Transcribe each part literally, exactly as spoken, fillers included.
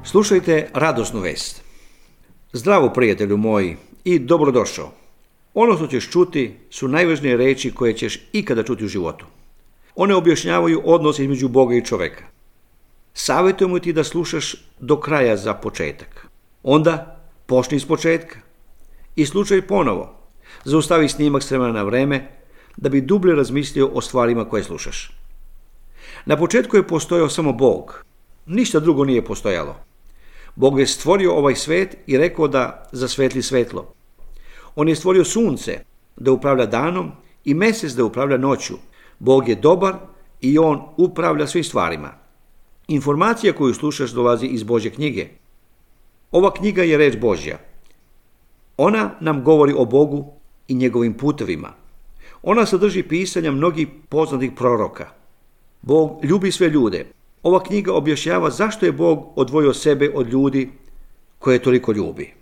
Slušajte radosnu vest. Zdravo, prijatelju moji, i dobrodošao. Ono što ćeš čuti su najvažnije reči koje ćeš ikada čuti u životu. One objašnjavaju odnos između Boga i čoveka. Savjetujemo ti da slušaš do kraja za početak. Onda počni iz početka i slušaj ponovo. Zaustavi snimak s vremena na vreme da bi dublje razmislio o stvarima koje slušaš. Na početku je postojao samo Bog. Ništa drugo nije postojalo. Bog je stvorio ovaj svet i rekao da zasvetli svetlo. On je stvorio sunce da upravlja danom i mjesec da upravlja noću. Bog je dobar i on upravlja svim stvarima. Informacija koju slušaš dolazi iz Božje knjige. Ova knjiga je reč Božja. Ona nam govori o Bogu i njegovim putevima. Ona sadrži pisanja mnogih poznatih proroka. Bog ljubi sve ljude. Ova knjiga objašnjava zašto je Bog odvojio sebe od ljudi koje toliko ljubi.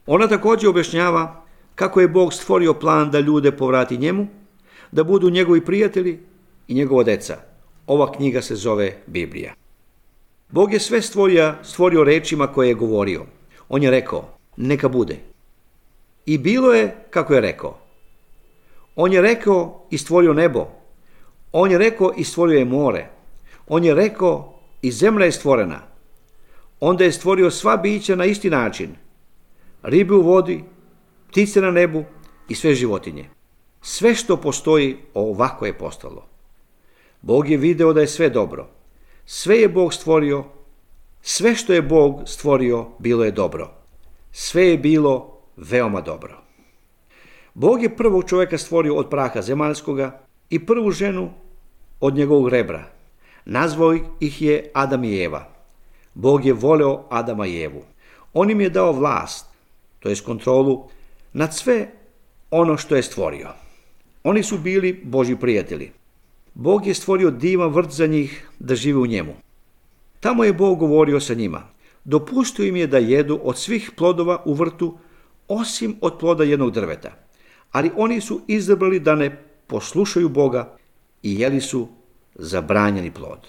Ona također objašnjava kako je Bog stvorio plan da ljude povrati njemu, da budu njegovi prijatelji i njegova deca. Ova knjiga se zove Biblija. Bog je sve stvorio, stvorio rečima koje je govorio. On je rekao, neka bude. I bilo je kako je rekao. On je rekao i stvorio nebo. On je rekao i stvorio je more. On je rekao i zemlja je stvorena. Onda je stvorio sva bića na isti način. Ribe u vodi, ptice na nebu i sve životinje. Sve što postoji ovako je postalo. Bog je video da je sve dobro. Sve je Bog stvorio. Sve što je Bog stvorio bilo je dobro. Sve je bilo veoma dobro. Bog je prvog čovjeka stvorio od praha zemaljskoga i prvu ženu od njegovog rebra. Nazvao ih je Adam i Eva. Bog je voleo Adama i Evu. On im je dao vlast, to jest kontrolu, nad sve ono što je stvorio. Oni su bili Božji prijatelji. Bog je stvorio divan vrt za njih da žive u njemu. Tamo je Bog govorio sa njima. Dopustio im je da jedu od svih plodova u vrtu, osim od ploda jednog drveta. Ali oni su izabrali da ne poslušaju Boga i jeli su zabranjeni plod.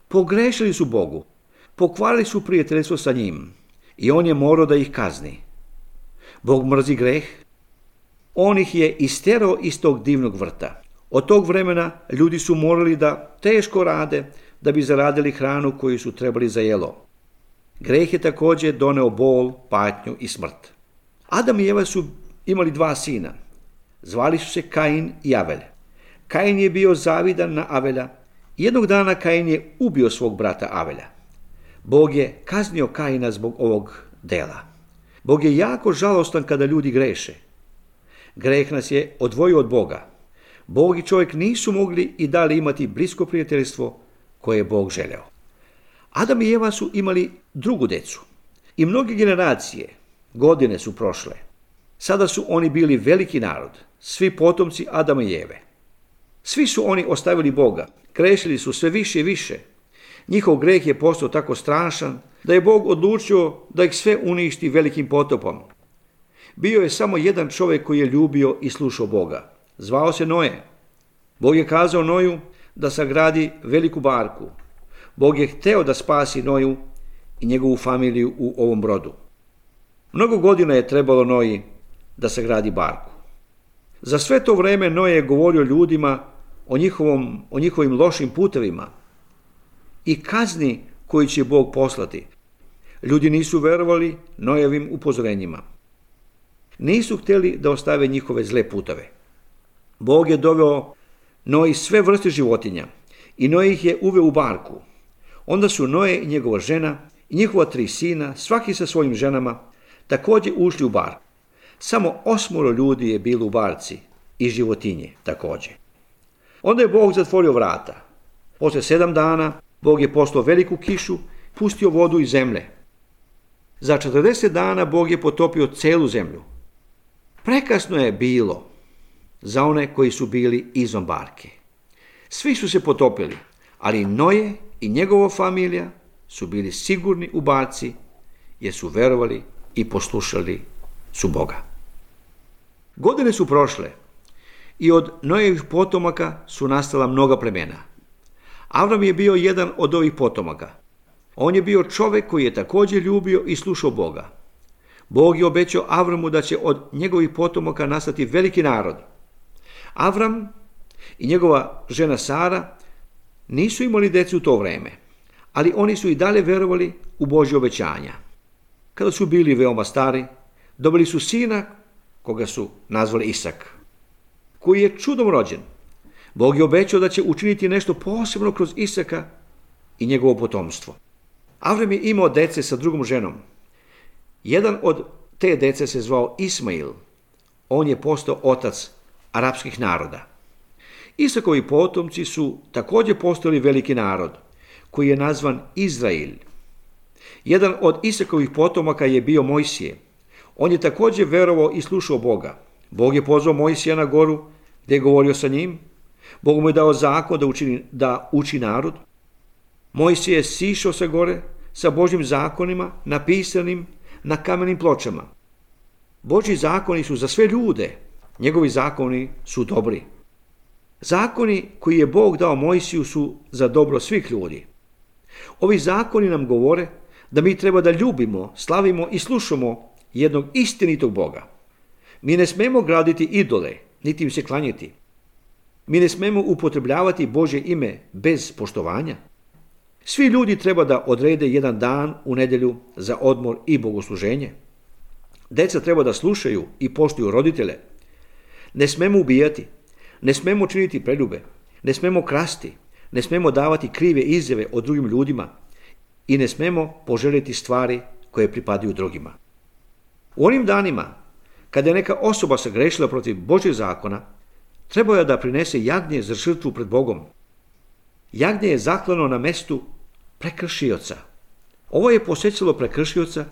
Pogrešili su Bogu, pokvarili su prijateljstvo sa njim i on je morao da ih kazni. Bog mrzi greh. On ih je isterao iz tog divnog vrta. Od tog vremena ljudi su morali da teško rade da bi zaradili hranu koju su trebali za jelo. Greh je također doneo bol, patnju i smrt. Adam i Eva su imali dva sina. Zvali su se Kain i Avel. Kain je bio zavidan na Avela. Jednog dana Kain je ubio svog brata Avela. Bog je kaznio Kaina zbog ovog dela. Bog je jako žalostan kada ljudi greše. Greh nas je odvojio od Boga. Bog i čovjek nisu mogli i dali imati blisko prijateljstvo koje je Bog želeo. Adam i Eva su imali drugu decu. I mnoge generacije, godine su prošle. Sada su oni bili veliki narod, svi potomci Adama i Eve. Svi su oni ostavili Boga, grešili su sve više i više. Njihov greh je postao tako strašan da je Bog odlučio da ih sve uništi velikim potopom. Bio je samo jedan čovjek koji je ljubio i slušao Boga. Zvao se Noe. Bog je kazao Noju da sagradi veliku barku. Bog je hteo da spasi Noju i njegovu familiju u ovom brodu. Mnogo godina je trebalo Noji da sagradi barku. Za sve to vreme Noe je govorio ljudima o, njihovom, o njihovim lošim putevima i kazni koju će Bog poslati. Ljudi nisu verovali Noevim upozorenjima. Nisu htjeli da ostave njihove zle puteve. Bog je doveo Noji sve vrste životinja i Noe ih je uveo u barku. Onda su Noe i njegova žena i njihova tri sina, svaki sa svojim ženama, također ušli u barku. Samo osmoro ljudi je bilo u barci i životinje također. Onda je Bog zatvorio vrata. Poslije sedam dana Bog je poslao veliku kišu, pustio vodu iz zemlje. Za četrdeset dana Bog je potopio celu zemlju. Prekasno je bilo za one koji su bili izvan barke. Svi su se potopili, ali Noe i njegova familija su bili sigurni u barci jer su verovali i poslušali su Boga. Godine su prošle i od Noevih potomaka su nastala mnoga plemena. Avram je bio jedan od ovih potomaka. On je bio čovjek koji je također ljubio i slušao Boga. Bog je obećao Avramu da će od njegovih potomaka nastati veliki narod. Avram i njegova žena Sara nisu imali djecu u to vrijeme, ali oni su i dalje vjerovali u Božje obećanja. Kada su bili veoma stari, dobili su sina koga su nazvali Isak, koji je čudom rođen. Bog je obećao da će učiniti nešto posebno kroz Isaka i njegovo potomstvo. Avram je imao dece sa drugom ženom. Jedan od te dece se zvao Ismail. On je postao otac arapskih naroda. Isakovi potomci su također postali veliki narod, koji je nazvan Izrael. Jedan od Isakovih potomaka je bio Mojsije. On je također verovao i slušao Boga. Bog je pozvao Mojsija na goru gdje je govorio sa njim. Bog mu je dao zakon da, učini, da uči narod. Mojsije je sišao sa gore sa Božjim zakonima napisanim na kamenim pločama. Božji zakoni su za sve ljude. Njegovi zakoni su dobri. Zakoni koji je Bog dao Mojsiju su za dobro svih ljudi. Ovi zakoni nam govore da mi treba da ljubimo, slavimo i slušamo jednog istinitog Boga. Mi ne smemo graditi idole, niti im se klanjati. Mi ne smemo upotrebljavati Božje ime bez poštovanja. Svi ljudi treba da odrede jedan dan u nedjelju za odmor i bogosluženje. Deca treba da slušaju i poštuju roditelje. Ne smemo ubijati, ne smemo činiti preljube, ne smemo krasti, ne smemo davati krive izjave o drugim ljudima i ne smemo poželjeti stvari koje pripadaju drugima. U onim danima, kada je neka osoba sagrešila protiv Božjeg zakona, trebao je da prinese jagnje za žrtvu pred Bogom. Jagnje je zaklano na mestu prekršioca. Ovo je posjećalo prekršioca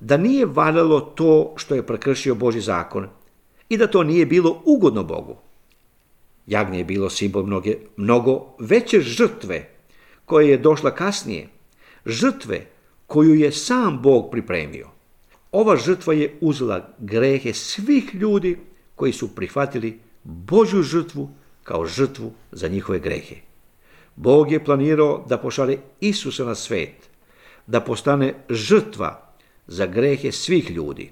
da nije valjalo to što je prekršio Božji zakon i da to nije bilo ugodno Bogu. Jagnje je bilo simbol mnoge, mnogo veće žrtve koja je došla kasnije, žrtve koju je sam Bog pripremio. Ova žrtva je uzela grehe svih ljudi koji su prihvatili Božju žrtvu kao žrtvu za njihove grehe. Bog je planirao da pošalje Isusa na svet, da postane žrtva za grehe svih ljudi.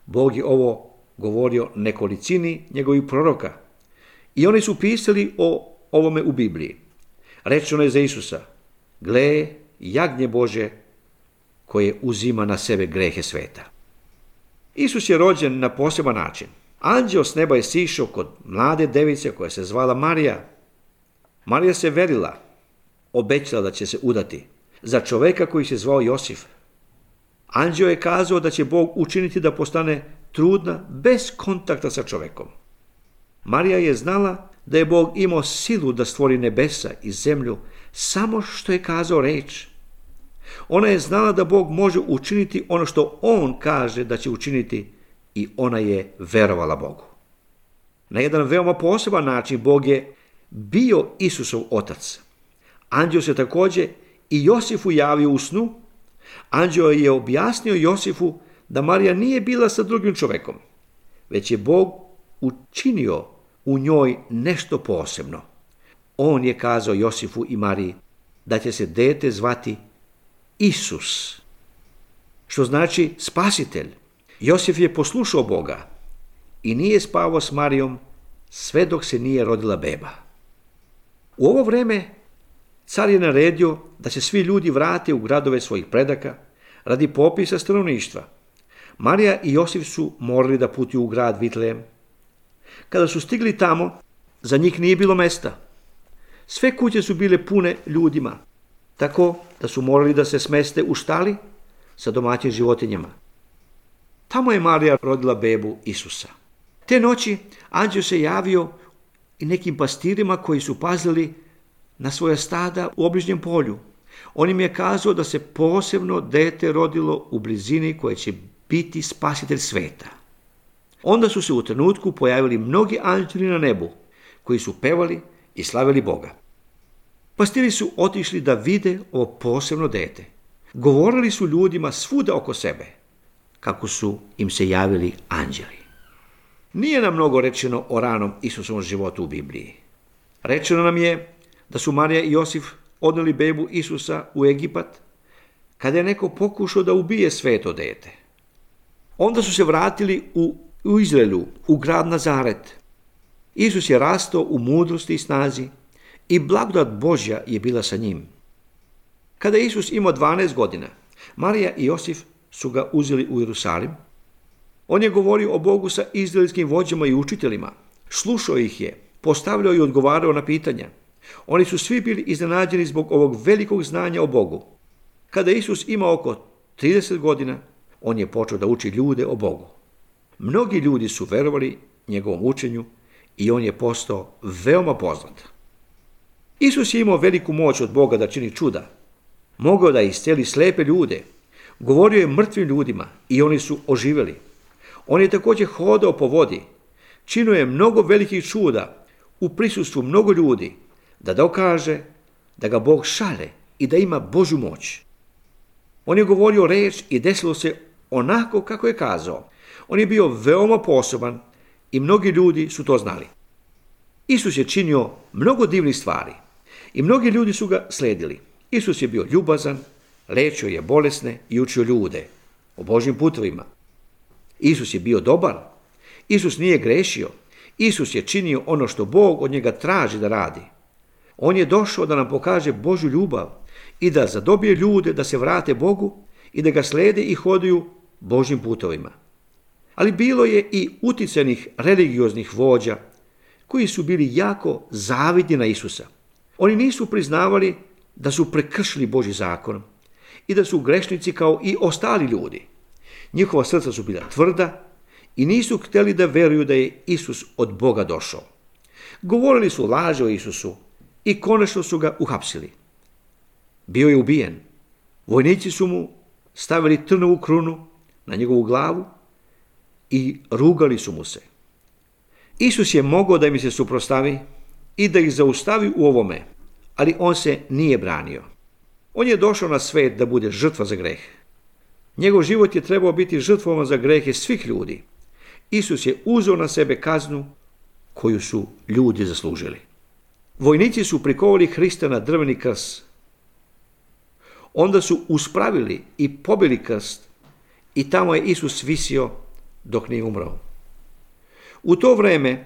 Bog je ovo govorio nekolicini njegovih proroka i oni su pisali o ovome u Bibliji. Rečeno je za Isusa: gle, jagnje Bože koje uzima na sebe grehe sveta. Isus je rođen na poseban način. Anđeo s neba je sišao kod mlade device koja se zvala Marija. Marija se verila, obećala da će se udati za čoveka koji se zvao Josif. Anđeo je kazao da će Bog učiniti da postane trudna bez kontakta sa čovekom. Marija je znala da je Bog imao silu da stvori nebesa i zemlju samo što je kazao reč. Ona je znala da Bog može učiniti ono što On kaže da će učiniti i ona je verovala Bogu. Na jedan veoma poseban način Bog je bio Isusov otac. Anđeo se također i Josifu javio u snu. Anđeo je objasnio Josifu da Marija nije bila sa drugim čovekom, već je Bog učinio u njoj nešto posebno. On je kazao Josifu i Mariji da će se dete zvati Isus, što znači spasitelj. Josif je poslušao Boga i nije spavao s Marijom sve dok se nije rodila beba. U ovo vrijeme car je naredio da se svi ljudi vrate u gradove svojih predaka radi popisa stanovništva. Marija i Josif su morali da putuju u grad Vitlejem. Kada su stigli tamo, za njih nije bilo mesta. Sve kuće su bile pune ljudima, tako da su morali da se smeste u štali sa domaćim životinjama. Tamo je Marija rodila bebu Isusa. Te noći anđeo se javio i nekim pastirima koji su pazili na svoja stada u obližnjem polju. On im je kazao da se posebno dete rodilo u blizini koje će biti spasitelj sveta. Onda su se u trenutku pojavili mnogi anđeli na nebu koji su pevali i slavili Boga. Pastiri su otišli da vide ovo posebno dete. Govorili su ljudima svuda oko sebe kako su im se javili anđeli. Nije nam mnogo rečeno o ranom Isusovom životu u Bibliji. Rečeno nam je da su Marija i Josif odneli bebu Isusa u Egipat kada je neko pokušao da ubije sveto dete. Onda su se vratili u, u Izraelu, u grad Nazaret. Isus je rastao u mudrosti i snazi i blagodat Božja je bila sa njim. Kada je Isus imao dvanaest godina, Marija i Josif su ga uzeli u Jerusalim. On je govorio o Bogu sa izraelskim vođama i učiteljima. Slušao ih je, postavljao i odgovarao na pitanja. Oni su svi bili iznenađeni zbog ovog velikog znanja o Bogu. Kada je Isus imao oko trideset godina, on je počeo da uči ljude o Bogu. Mnogi ljudi su verovali njegovom učenju i on je postao veoma poznat. Isus je imao veliku moć od Boga da čini čuda. Mogao da isceli slepe ljude. Govorio je mrtvim ljudima i oni su oživjeli. On je također hodao po vodi. Činio je mnogo velikih čuda u prisustvu mnogo ljudi da dokaže da ga Bog šalje i da ima Božju moć. On je govorio reč i desilo se onako kako je kazao. On je bio veoma poseban i mnogi ljudi su to znali. Isus je činio mnogo divnih stvari i mnogi ljudi su ga sledili. Isus je bio ljubazan, lečio je bolesne i učio ljude o Božjim putovima. Isus je bio dobar. Isus nije grešio. Isus je činio ono što Bog od njega traži da radi. On je došao da nam pokaže Božju ljubav i da zadobije ljude da se vrate Bogu i da ga slede i hoduju Božjim putovima. Ali bilo je i uticanih religioznih vođa koji su bili jako zavidni na Isusa. Oni nisu priznavali da su prekršili Božji zakon i da su grešnici kao i ostali ljudi. Njihova srca su bila tvrda i nisu htjeli da veruju da je Isus od Boga došao. Govorili su laže o Isusu i konačno su ga uhapsili. Bio je ubijen. Vojnici su mu stavili trnovu krunu na njegovu glavu i rugali su mu se. Isus je mogao da im se suprotstavi i da ih zaustavi u ovome, ali on se nije branio. On je došao na svet da bude žrtva za greh. Njegov život je trebao biti žrtvom za grehe svih ljudi. Isus je uzeo na sebe kaznu koju su ljudi zaslužili. Vojnici su prikovali Hrista na drveni krst. Onda su uspravili i pobili krst i tamo je Isus visio dok nije umrao. U to vreme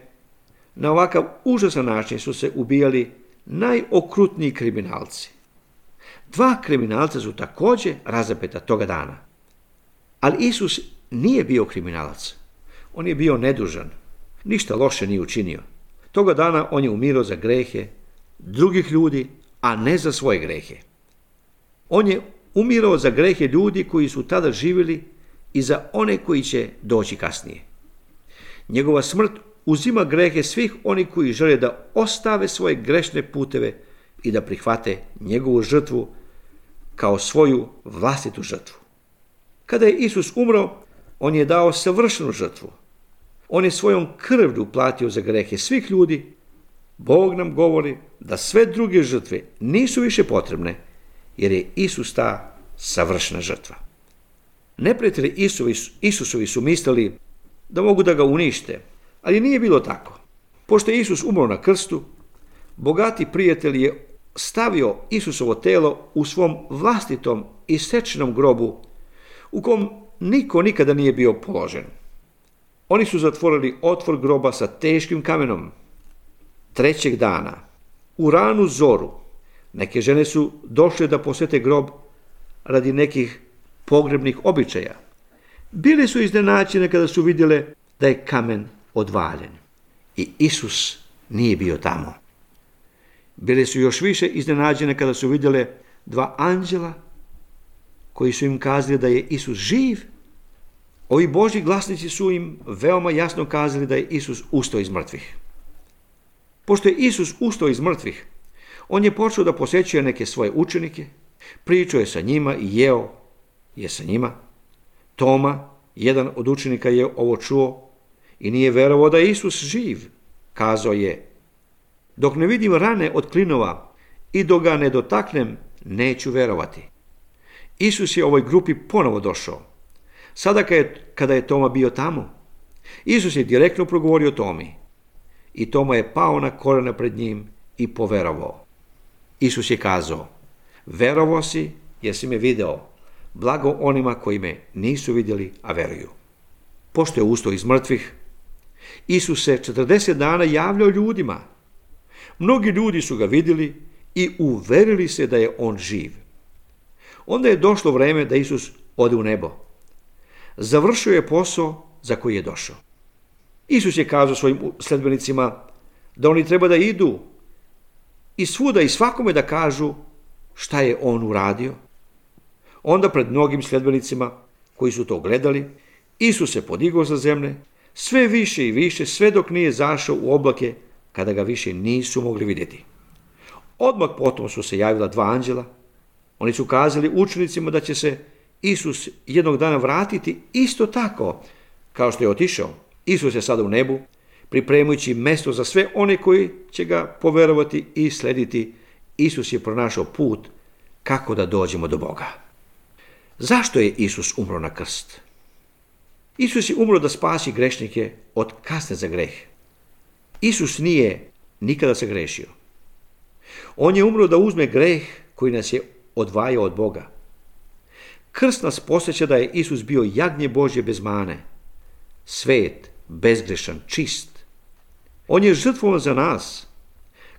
na ovakav užasan način su se ubijali najokrutniji kriminalci. Dva kriminalca su također razapeta toga dana. Ali Isus nije bio kriminalac. On je bio nedužan. Ništa loše nije učinio. Toga dana on je umirao za grehe drugih ljudi, a ne za svoje grehe. On je umirao za grehe ljudi koji su tada živjeli i za one koji će doći kasnije. Njegova smrt uzima grehe svih onih koji žele da ostave svoje grešne puteve i da prihvate njegovu žrtvu kao svoju vlastitu žrtvu. Kada je Isus umro, on je dao savršenu žrtvu. On je svojom krvlju platio za grehe svih ljudi. Bog nam govori da sve druge žrtve nisu više potrebne, jer je Isus ta savršena žrtva. Neprijatelji Isusovi su mislili da mogu da ga unište, ali nije bilo tako. Pošto je Isus umro na krstu, bogati prijatelj je stavio Isusovo telo u svom vlastitom isečenom grobu, u kom niko nikada nije bio položen. Oni su zatvorili otvor groba sa teškim kamenom. Trećeg dana, u ranu zoru, neke žene su došle da posete grob radi nekih pogrebnih običaja. Bili su iznenađene kada su vidjele da je kamen odvaljen i Isus nije bio tamo. Bile su još više iznenađene kada su vidjele dva anđela koji su im kazali da je Isus živ. Ovi Božji glasnici su im veoma jasno kazali da je Isus ustao iz mrtvih. Pošto je Isus ustao iz mrtvih, on je počeo da posećuje neke svoje učenike, pričao je sa njima i jeo je sa njima. Toma, jedan od učenika, je ovo čuo i nije verovao da je Isus živ. Kazao je: dok ne vidim rane od klinova i dok ga ne dotaknem, neću verovati. Isus je ovoj grupi ponovo došao. Sada kada je Toma bio tamo, Isus je direktno progovorio Tomi i Toma je pao na kolena pred njim i poverovao. Isus je kazao: verovao si jer si me video, blago onima koji me nisu vidjeli, a veruju. Pošto je ustao iz mrtvih, Isus se četrdeset dana javljao ljudima. Mnogi ljudi su ga vidjeli i uverili se da je on živ. Onda je došlo vreme da Isus ode u nebo. Završio je posao za koji je došao. Isus je kazao svojim sledbenicima da oni treba da idu i svuda i svakome da kažu šta je on uradio. Onda pred mnogim sledbenicima koji su to gledali, Isus se podigao sa zemlje, sve više i više, sve dok nije zašao u oblake, kada ga više nisu mogli vidjeti. Odmah potom su se javila dva anđela. Oni su kazali učenicima da će se Isus jednog dana vratiti isto tako kao što je otišao. Isus je sada u nebu, pripremajući mjesto za sve one koji će ga poverovati i slediti. Isus je pronašao put kako da dođemo do Boga. Zašto je Isus umro na krst? Isus je umro da spasi grešnike od kazne za greh. Isus nije nikada se grešio. On je umro da uzme greh koji nas je odvajao od Boga. Krst nas podsjeća da je Isus bio jagnje Božje bez mane, svet, bezgrešan, čist. On je žrtvovan za nas.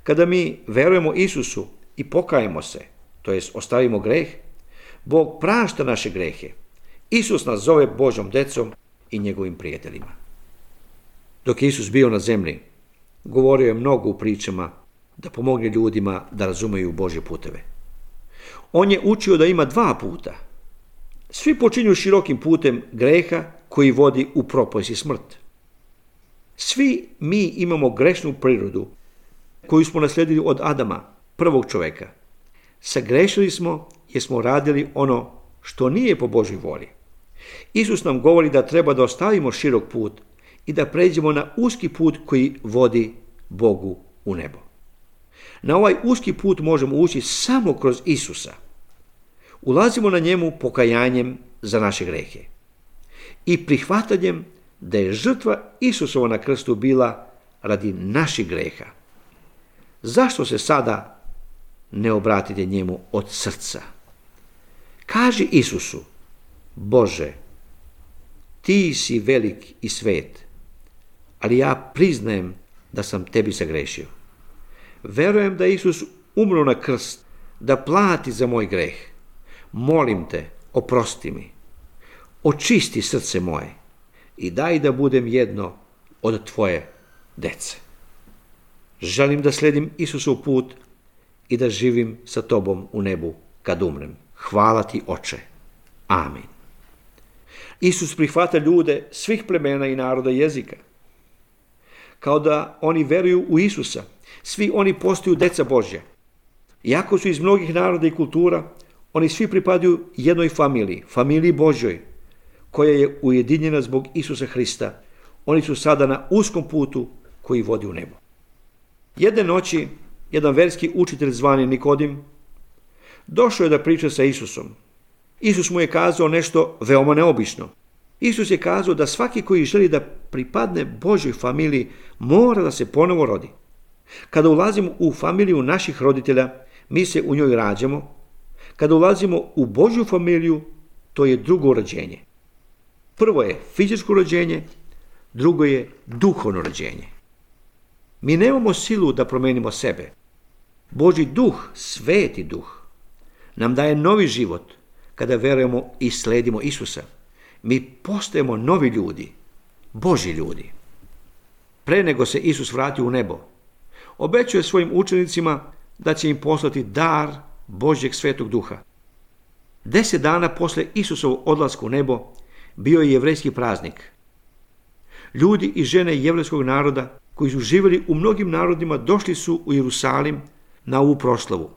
Kada mi verujemo Isusu i pokajemo se, to jest ostavimo greh, Bog prašta naše grehe. Isus nas zove Božjom decom i njegovim prijateljima. Dok je Isus bio na zemlji, govorio je mnogo u pričama da pomogne ljudima da razumeju Božje puteve. On je učio da ima dva puta. Svi počinju širokim putem greha koji vodi u propast i smrt. Svi mi imamo grešnu prirodu koju smo naslijedili od Adama, prvog čovjeka. Sagrešili smo jer smo radili ono što nije po Božoj volji. Isus nam govori da treba da ostavimo širok put i da pređemo na uski put koji vodi Bogu u nebo. Na ovaj uski put možemo ući samo kroz Isusa. Ulazimo na njemu pokajanjem za naše grehe i prihvatanjem da je žrtva Isusova na krstu bila radi naših greha. Zašto se sada ne obratite njemu od srca? Kaži Isusu: Bože, ti si velik i svet, ali ja priznajem da sam tebi sagrešio. Verujem da je Isus umro na krst da plati za moj greh. Molim te, oprosti mi, očisti srce moje i daj da budem jedno od tvoje dece. Želim da sledim Isusov put i da živim sa tobom u nebu kad umrem. Hvala ti, Oče. Amin. Isus prihvata ljude svih plemena i naroda i jezika. Kao da oni veruju u Isusa, svi oni postaju deca Božja. Iako su iz mnogih naroda i kultura, oni svi pripadaju jednoj familiji, familiji Božjoj, koja je ujedinjena zbog Isusa Hrista. Oni su sada na uskom putu koji vodi u nebo. Jedne noći, jedan verski učitelj zvani Nikodim došao je da priča sa Isusom. Isus mu je kazao nešto veoma neobično. Isus je kazao da svaki koji želi da pripadne Božjoj familiji mora da se ponovo rodi. Kada ulazimo u familiju naših roditelja, mi se u njoj rađamo. Kada ulazimo u Božju familiju, to je drugo rođenje. Prvo je fizičko rođenje, drugo je duhovno rođenje. Mi nemamo silu da promenimo sebe. Božji duh, sveti duh, nam daje novi život kada verujemo i sledimo Isusa. Mi postajemo novi ljudi, Božji ljudi. Pre nego se Isus vratio u nebo, obećao je svojim učenicima da će im poslati dar Božjeg svetog duha. Deset dana posle Isusovog odlaska u nebo bio je jevrejski praznik. Ljudi i žene jevrejskog naroda koji su živjeli u mnogim narodima došli su u Jerusalim na ovu proslavu.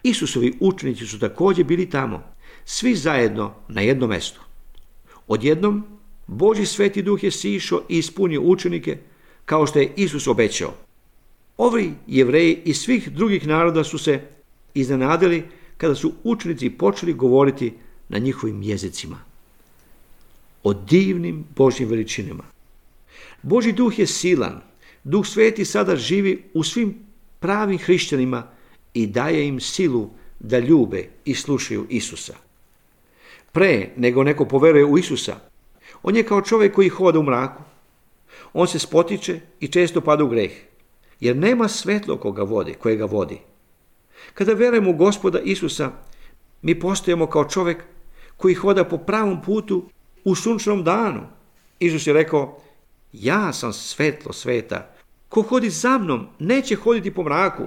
Isusovi učenici su također bili tamo, svi zajedno na jednom mjestu. Odjednom Božji sveti duh je sišao i ispunio učenike kao što je Isus obećao. Ovi Jevreji iz svih drugih naroda su se iznenadili kada su učenici počeli govoriti na njihovim jezicima o divnim Božjim veličinama. Božji duh je silan. Duh sveti sada živi u svim pravim hrišćanima i daje im silu da ljube i slušaju Isusa. pre nego neko poveruje u Isusa, on je kao čovjek koji hoda u mraku. On se spotiče i često pada u greh, jer nema svetlo koga vodi, koje ga vodi. Kada verujemo u Gospoda Isusa, mi postajemo kao čovjek koji hoda po pravom putu u sunčanom danu. Isus je rekao, ja sam svetlo sveta. Ko hodi za mnom, neće hoditi po mraku.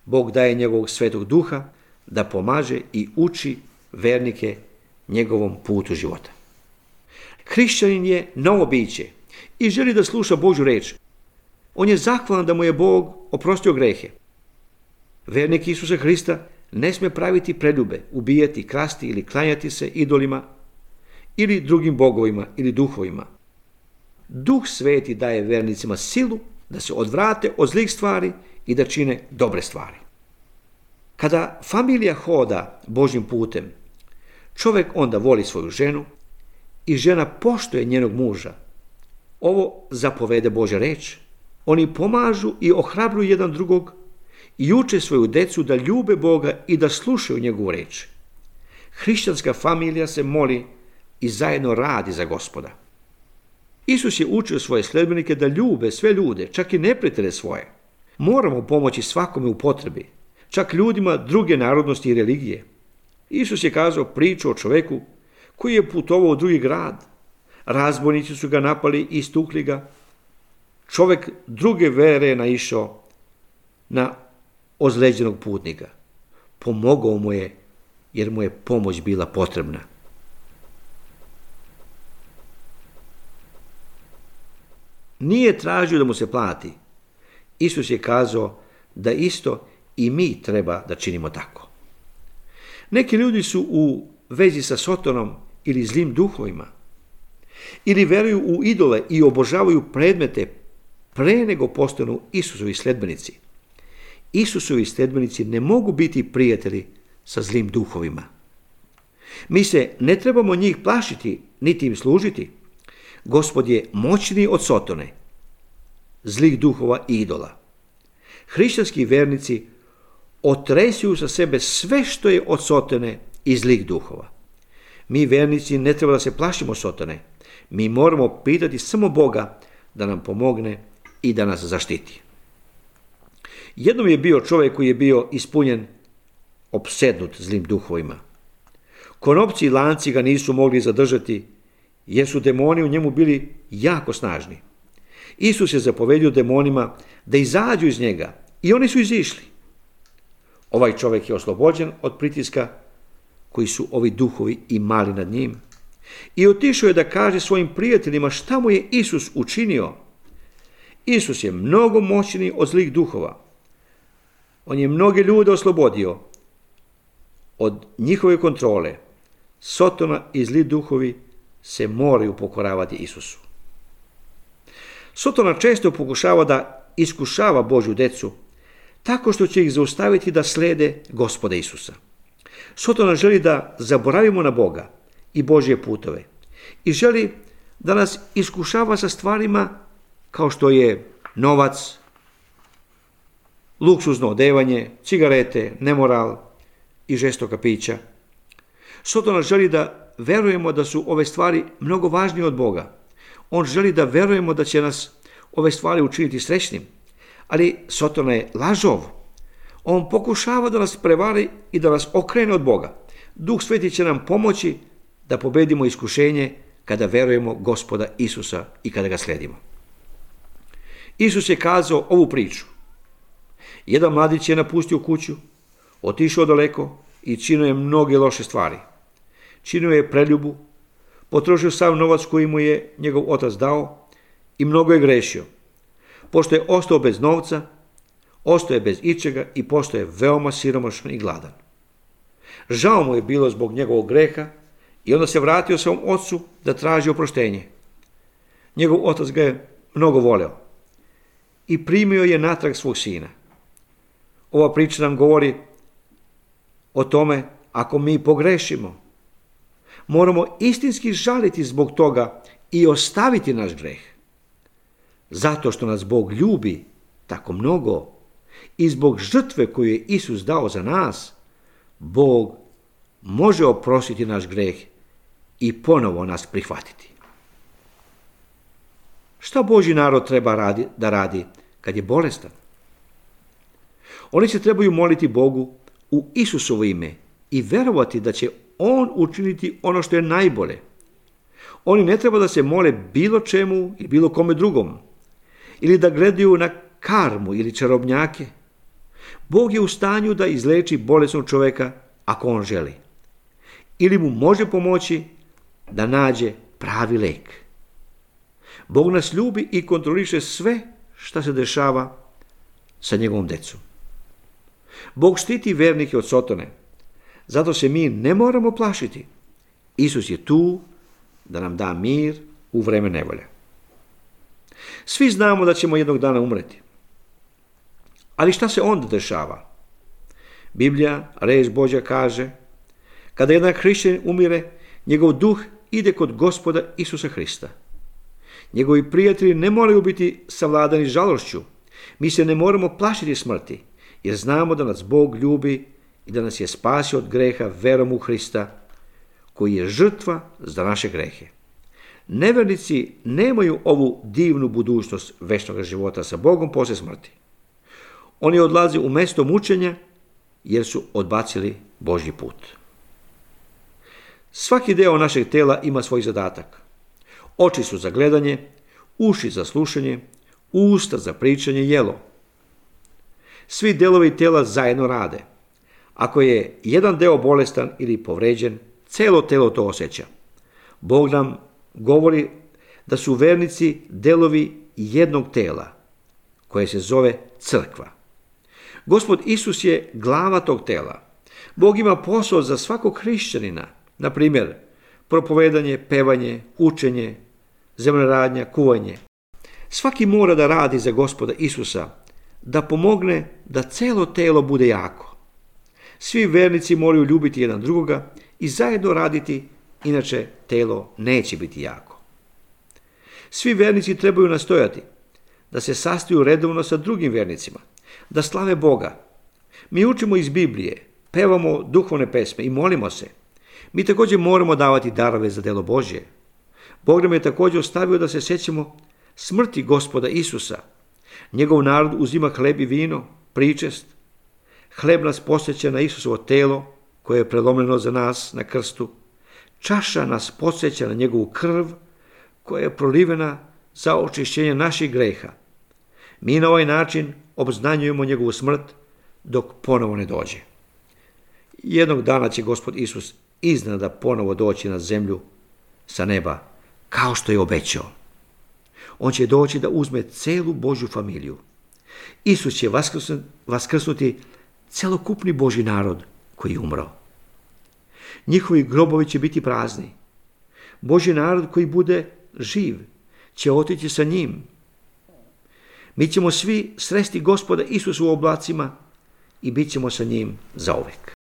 Bog daje njegovog svetog duha da pomaže i uči vernike njegovom putu života. Hrišćanin je novo biće i želi da sluša Božju reč. On je zahvalan da mu je Bog oprostio grehe. Vernik Isusa Hrista ne smije praviti preljube, ubijati, krasti ili klanjati se idolima ili drugim bogovima ili duhovima. Duh Sveti daje vernicima silu da se odvrate od zlih stvari i da čine dobre stvari. Kada familija hoda Božjim putem, čovjek onda voli svoju ženu i žena poštuje njenog muža. Ovo zapovede Božja reč. Oni pomažu i ohrabruju jedan drugog i uče svoju decu da ljube Boga i da slušaju njegovu reč. Hrišćanska familija se moli i zajedno radi za Gospoda. Isus je učio svoje sledbenike da ljube sve ljude, čak i neprijatelje svoje. Moramo pomoći svakome u potrebi, čak ljudima druge narodnosti i religije. Isus je kazao priču o čovjeku koji je putovao u drugi grad. Razbojnici su ga napali i istukli ga. Čovjek druge vere je naišao na ozlijeđenog putnika. Pomogao mu je jer mu je pomoć bila potrebna. Nije tražio da mu se plati. Isus je kazao da isto i mi treba da činimo tako. Neki ljudi su u vezi sa Sotonom ili zlim duhovima. Ili veruju u idole i obožavaju predmete pre nego postanu Isusovi sledbenici. Isusovi sledbenici ne mogu biti prijatelji sa zlim duhovima. Mi se ne trebamo njih plašiti, niti im služiti. Gospod je moćniji od Sotone, zlih duhova i idola. Hrišćanski vernici otresuju sa sebe sve što je od Sotone i zlih duhova. Mi vernici ne treba da se plašimo Sotone. Mi moramo pitati samo Boga da nam pomogne i da nas zaštiti. Jednom je bio čovjek koji je bio ispunjen, opsednut zlim duhovima. Konopci i lanci ga nisu mogli zadržati jer su demoni u njemu bili jako snažni. Isus je zapovedio demonima da izađu iz njega i oni su izišli. Ovaj čovjek je oslobođen od pritiska koji su ovi duhovi imali nad njim i otišao je da kaže svojim prijateljima šta mu je Isus učinio. Isus je mnogo moćniji od zlih duhova. On je mnoge ljude oslobodio od njihove kontrole. Sotona i zli duhovi se moraju pokoravati Isusu. Sotona često pokušava da iskušava Božju decu tako što će ih zaustaviti da slede Gospoda Isusa. Sotona želi da zaboravimo na Boga i Božje putove i želi da nas iskušava sa stvarima kao što je novac, luksuzno odevanje, cigarete, nemoral i žestoka pića. Sotona želi da verujemo da su ove stvari mnogo važnije od Boga. On želi da verujemo da će nas ove stvari učiniti srećnim, ali Sotona je lažov. On pokušava da nas prevari i da nas okrene od Boga. Duh Sveti će nam pomoći da pobedimo iskušenje kada verujemo Gospoda Isusa i kada ga sledimo. Isus je kazao ovu priču. Jedan mladić je napustio kuću, otišao daleko i činio je mnoge loše stvari. Činio je preljubu, potrošio sav novac koji mu je njegov otac dao i mnogo je grešio. Pošto je ostao bez novca, ostao je bez ičega i postao je veoma siromašan i gladan. Žao mu je bilo zbog njegovog greha i onda se vratio svom ocu da traži oproštenje. Njegov otac ga je mnogo voleo i primio je natrag svog sina. Ova priča nam govori o tome ako mi pogrešimo, moramo istinski žaliti zbog toga i ostaviti naš greh. Zato što nas Bog ljubi tako mnogo i zbog žrtve koju je Isus dao za nas, Bog može oprostiti naš greh i ponovo nas prihvatiti. Šta Božji narod treba radi, da radi kad je bolestan? Oni se trebaju moliti Bogu u Isusovo ime i verovati da će On učiniti ono što je najbolje. Oni ne treba da se mole bilo čemu ili bilo kome drugom, ili da gledaju na karmu ili čarobnjake. Bog je u stanju da izleči bolesnog čovjeka ako On želi. Ili mu može pomoći da nađe pravi lek. Bog nas ljubi i kontroliše sve što se dešava sa njegovom decom. Bog štiti vernike od Sotone, zato se mi ne moramo plašiti. Isus je tu da nam da mir u vreme nevolje. Svi znamo da ćemo jednog dana umreti. Ali šta se onda dešava? Biblija, reč Božja kaže, kada jedan hrišćanin umire, njegov duh ide kod Gospoda Isusa Hrista. Njegovi prijatelji ne moraju biti savladani žalošću. Mi se ne moramo plašiti smrti, jer znamo da nas Bog ljubi i da nas je spasio od greha verom u Hrista, koji je žrtva za naše grehe. Nevernici nemaju ovu divnu budućnost večnog života sa Bogom poslije smrti. Oni odlaze u mjesto mučenja jer su odbacili Božji put. Svaki deo našeg tela ima svoj zadatak. Oči su za gledanje, uši za slušanje, usta za pričanje, jelo. Svi delovi tela zajedno rade. Ako je jedan deo bolestan ili povređen, celo telo to osjeća. Bog nam govori da su vernici delovi jednog tela, koje se zove crkva. Gospod Isus je glava tog tela. Bog ima posao za svakog hrišćanina, na primjer, propovedanje, pevanje, učenje, zemljoradnja, kuvanje. Svaki mora da radi za Gospoda Isusa, da pomogne da celo telo bude jako. Svi vernici moraju ljubiti jedan drugoga i zajedno raditi, inače telo neće biti jako. Svi vernici trebaju nastojati da se sastaju redovno sa drugim vernicima, da slave Boga. Mi učimo iz Biblije, pevamo duhovne pesme i molimo se. Mi također moramo davati darove za delo Božje. Bog nam je također ostavio da se sjećamo smrti Gospoda Isusa. Njegov narod uzima hleb i vino, pričest. Hleb nas podsjeća na Isusovo telo koje je prelomljeno za nas na krstu. Čaša nas podsjeća na njegovu krv koja je prolivena za očišćenje naših greha. Mi na ovaj način obznanjujemo njegovu smrt dok ponovo ne dođe. Jednog dana će Gospod Isus iznenada ponovo doći na zemlju sa neba, kao što je obećao. On će doći da uzme celu Božju familiju. Isus će vaskrsnuti celokupni Božji narod koji je umro. Njihovi grobovi će biti prazni. Božji narod koji bude živ će otići sa njim. Mi ćemo svi sresti Gospoda Isusa u oblacima i bit ćemo sa njim zauvek.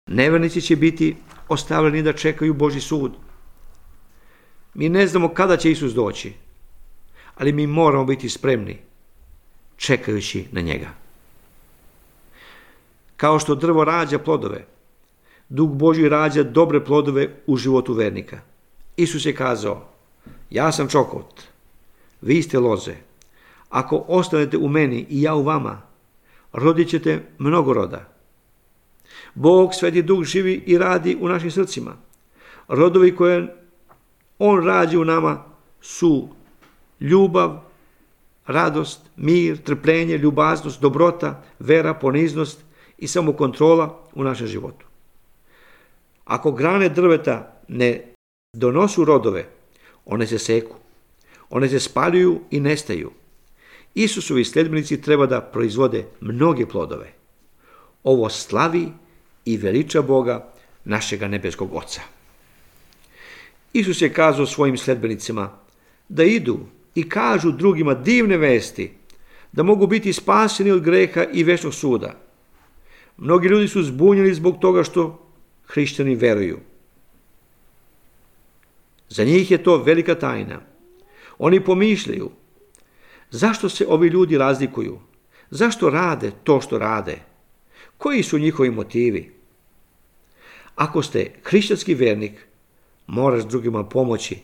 Nevernici će biti ostavljeni da čekaju Božji sud. Mi ne znamo kada će Isus doći, ali mi moramo biti spremni, čekajući na njega. Kao što drvo rađa plodove, Duh Božji rađa dobre plodove u životu vernika. Isus je kazao, ja sam čokot, vi ste loze. Ako ostanete u meni i ja u vama, rodit ćete mnogo roda. Bog, Sveti Duh, živi i radi u našim srcima. Rodovi koje On rađa u nama su ljubav, radost, mir, trpljenje, ljubaznost, dobrota, vera, poniznost i samokontrola u našem životu. Ako grane drveta ne donosu rodove, one se seku, one se spaljuju i nestaju. Isusovi sljedbenici treba da proizvode mnoge plodove. Ovo slavi i veliča Boga, našega nebeskog Oca. Isus je kazao svojim sljedbenicima da idu i kažu drugima divne vesti, da mogu biti spaseni od greha i večnog suda. Mnogi ljudi su zbunjeni zbog toga što hrišćani veruju. Za njih je to velika tajna. Oni pomišljaju, zašto se ovi ljudi razlikuju? Zašto rade to što rade? Koji su njihovi motivi? Ako ste hrišćanski vjernik, moraš drugima pomoći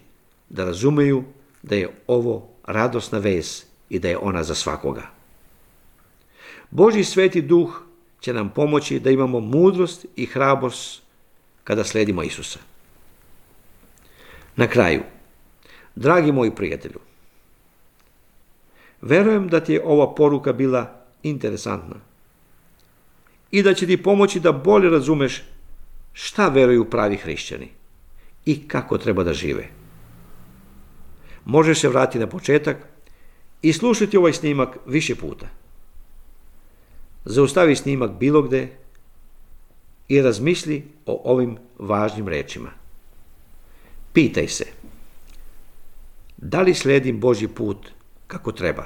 da razumeju da je ovo radosna vez i da je ona za svakoga. Božji sveti duh će nam pomoći da imamo mudrost i hrabrost kada slijedimo Isusa. Na kraju, dragi moji prijatelju, verujem da ti je ova poruka bila interesantna i da će ti pomoći da bolje razumeš šta veruju pravi hrišćani i kako treba da žive. Možeš se vratiti na početak i slušati ovaj snimak više puta. Zaustavi snimak bilo gde i razmisli o ovim važnim rečima. Pitaj se, da li slijedim Božji put kako treba?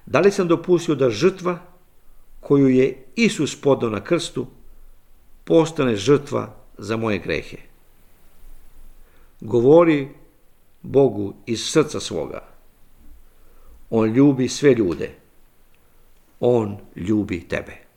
Da li sam dopustio da žrtva koju je Isus podao na krstu postane žrtva za moje grehe? Govori Bogu iz srca svoga. On ljubi sve ljude. On ljubi tebe.